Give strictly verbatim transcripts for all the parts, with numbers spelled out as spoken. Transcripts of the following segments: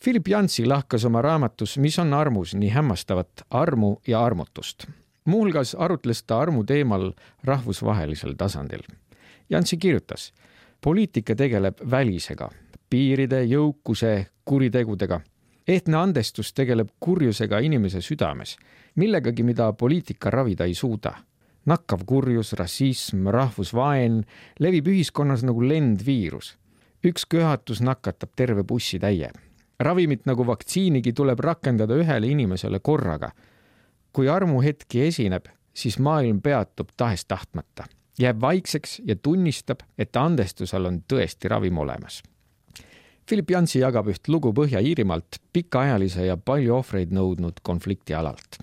Philip Yancey lahkas oma raamatus Mis on armus nii hämmastavat armu ja armutust. Muuhulgas arutles ta armu teemal rahvusvahelisel tasandil. Yancey kirjutas, poliitika tegeleb välisega, piiride, jõukuse, kuritegudega. Ehtne andestus tegeleb kurjusega inimese südames, millegagi, mida poliitika ravida ei suuda. Nakkav kurjus, rassism, rahvusvaen levib ühiskonnas nagu lendviirus. Üks köhatus nakatab terve bussi täie. Ravimit nagu vaktsiinigi tuleb rakendada ühele inimesele korraga. Kui armuhetki esineb, siis maailm peatub tahes tahtmata. Jääb vaikseks ja tunnistab, et andestusel on tõesti ravim olemas. Philip Yancey jagab üht lugu Põhja-Iirimaalt pikaajalise ja palju ohvreid nõudnud konflikti alalt.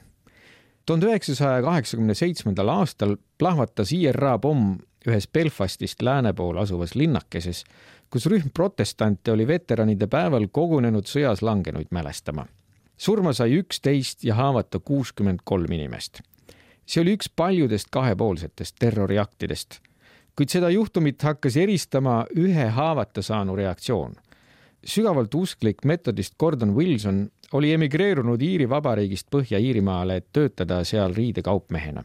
tuhande üheksasaja kaheksakümne seitsmendal aastal plahvatas I R A pomm ühes Belfastist lääne pool asuvas linnakeses, kus rühm protestante oli veteranide päeval kogunenud sõjas langenuid mälestama. Surma sai üksteist ja haavata kuuskümmend kolm inimest. See oli üks paljudest kahepoolsetest terroriaktidest, kuid seda juhtumit hakkas eristama ühe haavata saanu reaktsioon. Sügavalt usklik metodist Gordon Wilson oli emigreerunud Iiri vabariigist Põhja-Iirimaale, et töötada seal riidekaupmehena.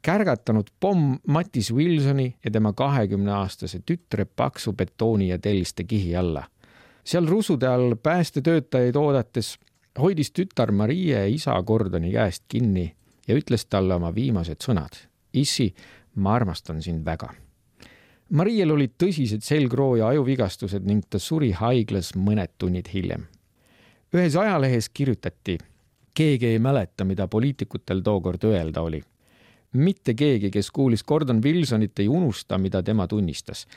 Kärgatanud pomm Mattis Wilsoni ja tema kahekümne aastase tütre paksu betooni ja telliste kihi alla. Seal rusude all päästetöötajaid oodates hoidis tütar Marie isa Gordoni käest kinni ja ütles talle oma viimased sõnad. Issi, ma armastan sind väga. Mariel olid tõsised selgroo ja ajuvigastused ning ta suri haiglas mõned tunnid hiljem. Ühes ajalehes kirjutati, keegi ei mäleta, mida poliitikutel tookord öelda oli. Mitte keegi, kes kuulis Gordon Wilsonit, ei unusta, mida tema tunnistas.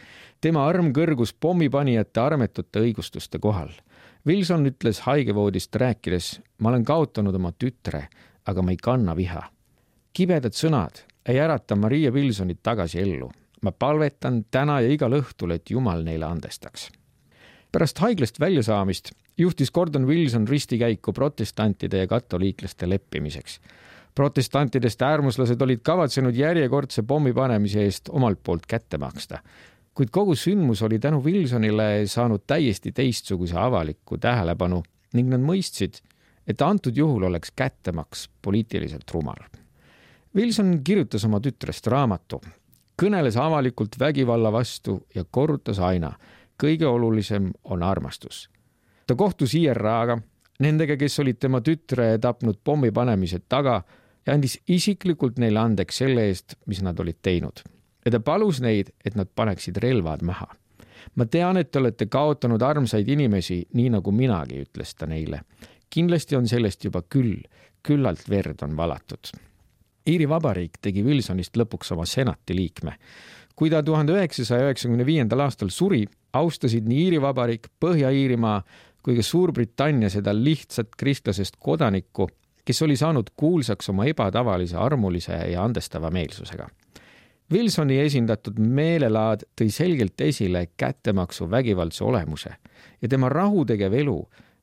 Tema arm kõrgus pommipanijate armetute õigustuste kohal. Wilson ütles haigevoodist rääkides, ma olen kaotanud oma tütre, aga ma ei kanna viha. Kibedad sõnad ei ärata Maria Wilsonit tagasi ellu. Ma palvetan täna ja igal õhtul, et Jumal neile andestaks. Pärast haiglast väljasaamist juhtis Gordon Wilson ristikäiku protestantide ja katoliiklaste leppimiseks. Protestantidest äärmuslased olid kavatsenud järjekordse pommi panemise eest omalt poolt kätte maksta. Kuid kogu sündmus oli tänu Wilsonile saanud täiesti teistsuguse avaliku tähelepanu ning nad mõistsid, et antud juhul oleks kättemaks poliitiliselt rumal. Wilson kirjutas oma tütrest raamatu, kõneles avalikult vägivalla vastu ja korrutas aina, kõige olulisem on armastus. Ta kohtus I R A-ga, nendega, kes olid tema tütre tapnud pommi panemise taga ja andis isiklikult neile andeks selle eest, mis nad olid teinud. Ja ta palus neid, et nad paneksid relvad maha. Ma tean, et te olete kaotanud armsaid inimesi, nii nagu minagi, ütles ta neile. Kindlasti on sellest juba küll, küllalt verd on valatud. Iiri vabariik tegi Wilsonist lõpuks oma senati liikme. Kui ta tuhande üheksasaja üheksakümne viiendal aastal suri, austasid nii Iiri vabariik, Põhja-Iirimaa kui ka Suurbritannia seda lihtsat kristlasest kodanikku, kes oli saanud kuulsaks oma ebatavalise, armulise ja andestava meelsusega. Wilsoni esindatud meelelaad tõi selgelt esile kättemaksu vägivaldse olemuse ja tema rahutegev elu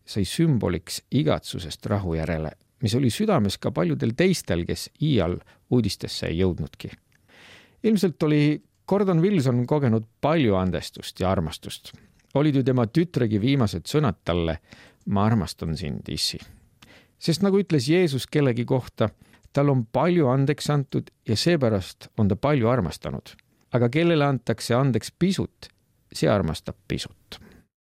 sai sümboliks igatsusest rahu järele, mis oli südames ka paljudel teistel, kes iial uudistesse ei jõudnudki. Ilmselt oli Gordon Wilson kogenud palju andestust ja armastust. Olid ju tema tütregi viimased sõnad talle, ma armastan sind, issi. Sest nagu ütles Jeesus kellegi kohta, tal on palju andeks antud ja seepärast on ta palju armastanud. Aga kellele antakse andeks pisut, see armastab pisut.